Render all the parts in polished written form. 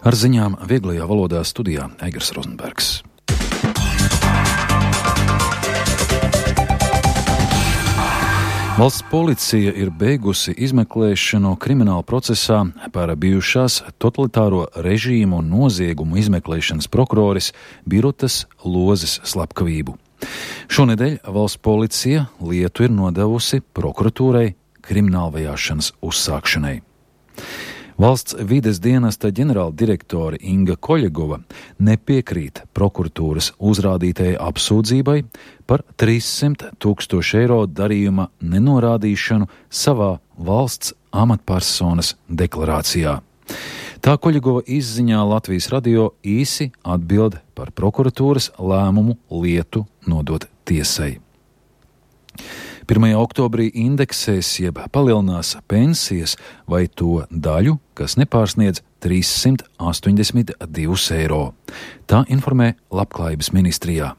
Ar ziņām vieglajā valodā studijā Egers Rozenbergs. Valsts policija ir beigusi izmeklēšanu krimināla procesā par bijušās totalitāro režīmu un noziegumu izmeklēšanas prokuroris Birutas Lozes slepkavību. Šonedēļ valsts policija lietu ir nodevusi prokuratūrai kriminālvajāšanas uzsākšanai. Valsts vides dienesta ģenerāldirektore Inga Koļegova nepiekrīt prokuratūras uzrādītajai apsūdzībai par 300 000 eiro darījuma nenorādīšanu savā valsts amatpersonas deklarācijā. Tā Koļegova izziņā Latvijas radio īsi atbild par prokuratūras lēmumu lietu nodot tiesai. 1. oktobrī indeksēs jeb palielinās pensijas vai to daļu, kas nepārsniedz 382 eiro. Tā informē Labklājības ministrijā.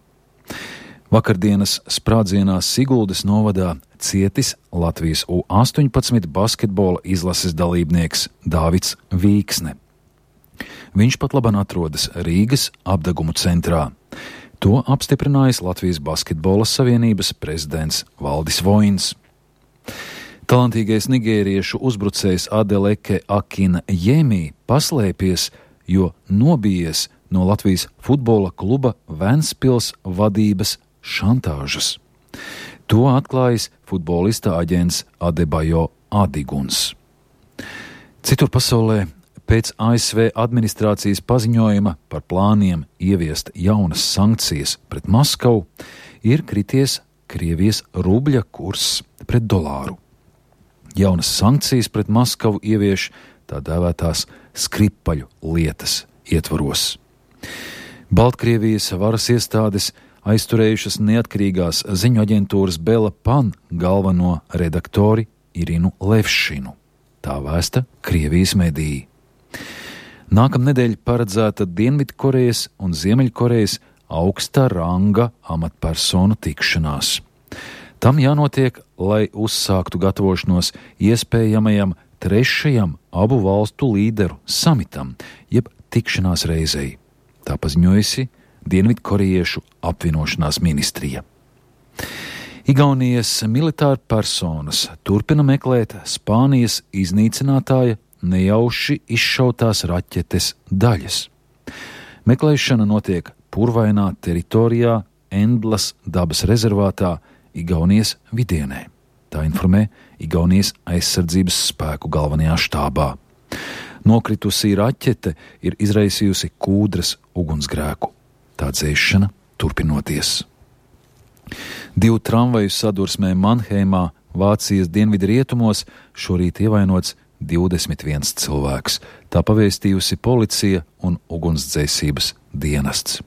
Vakardienas sprādzienā Siguldas novadā cietis Latvijas U18 basketbola izlases dalībnieks Dāvids Vīksne. Viņš patlaban atrodas Rīgas apdegumu centrā. To apstiprinājis Latvijas basketbola savienības prezidents Valdis Voins. Talantīgais nigēriešu uzbrucējs Adeleke Akina Jēmī paslēpies, jo nobijies no Latvijas futbola kluba Ventspils vadības šantāžas. To atklājis futbolista aģents Adebayo Adiguns. Citur pasaulē pēc ASV administrācijas paziņojuma par plāniem ieviest jaunas sankcijas pret Maskavu ir krities Krievijas rubļa kurs pret dolāru. Jaunas sankcijas pret Maskavu ievieš tā dēvētās Skripaļu lietas ietvaros. Baltkrievijas varas iestādes aizturējušas neatkarīgās ziņu aģentūras Bela Pan galveno redaktori Irinu Levšinu. Tā vēsta Krievijas mediji. Nākamnedēļ paredzēta Dienvidkorejas un Ziemeļkorejas augsta ranga amatpersonu tikšanās. Tam jānotiek, lai uzsāktu gatavošanos iespējamajam 3. abu valstu līderu samitam, jeb tikšanās reizei. Tā paziņojusi Dienvidkorejiešu apvienošanās ministrija. Igaunijas militāra personas turpina meklēt Spānijas iznīcinātāja nejauši izšautās raķetes daļas. Meklēšana notiek purvainā teritorijā Endlas dabas rezervātā Igaunijas vidienē. Tā informē Igaunijas aizsardzības spēku galvenajā štābā. Nokritusī raķete ir izraisījusi kūdras ugunsgrēku. Tā dzēšana turpinoties. 2 tramvaju sadursmē Manheimā, Vācijas dienvidu rietumos, šorīt ievainots 21 cilvēks. Tā pavēstījusi policija un ugunsdzēsības dienests.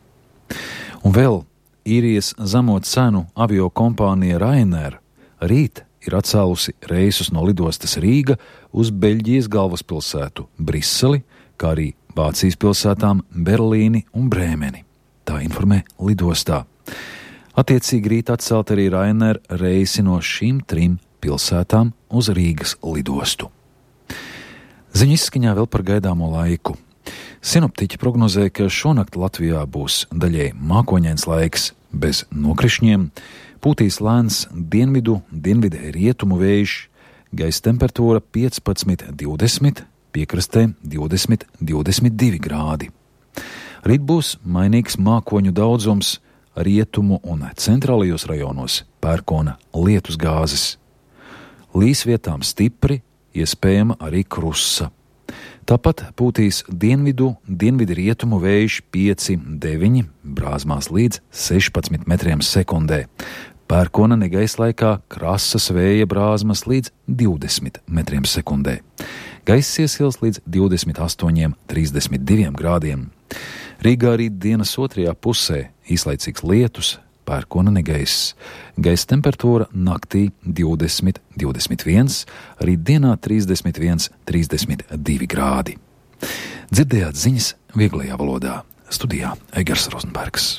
Un vēl īrijas zemo cenu avio kompānija Ryanair rīt ir atcēlusi reisus no lidostas Rīga uz Beļģijas galvaspilsētu Briseli, kā arī Vācijas pilsētām Berlīni un Brēmeni. Tā informē lidostā. Attiecīgi rīt atcelt arī Ryanair reisi no šīm 3 pilsētām uz Rīgas lidostu. Ziņu izskaņā vēl par gaidāmo laiku. Sinoptiķi prognozē, ka šonakt Latvijā būs daļēji mākoņains laiks bez nokrišņiem, pūtīs lēns dienvidu rietumu vējš, gaisa temperatūra 15–20, piekrastē 20–22 grādi. Rīt būs mainīgs mākoņu daudzums, rietumu un centrālajos rajonos pērkona lietus gāzes. Līs vietām stipri, iespējama arī krusa. Tāpat pūtīs dienvidu rietumu vējš 5–9, brāzmās līdz 16 metriem sekundē. Pērkona negaislaikā krasas vēja brāzmas līdz 20 metriem sekundē. Gaiss iesils līdz 28–32 grādiem. Rīgā rīt dienas otrajā pusē īslaicīgs lietus, pērkona negaiss. Gaisa temperatūra naktī 20–21, rīt dienā 31–32 grādi. Dzirdējāt ziņas vieglajā valodā. Studijā Egers Rozenbergs.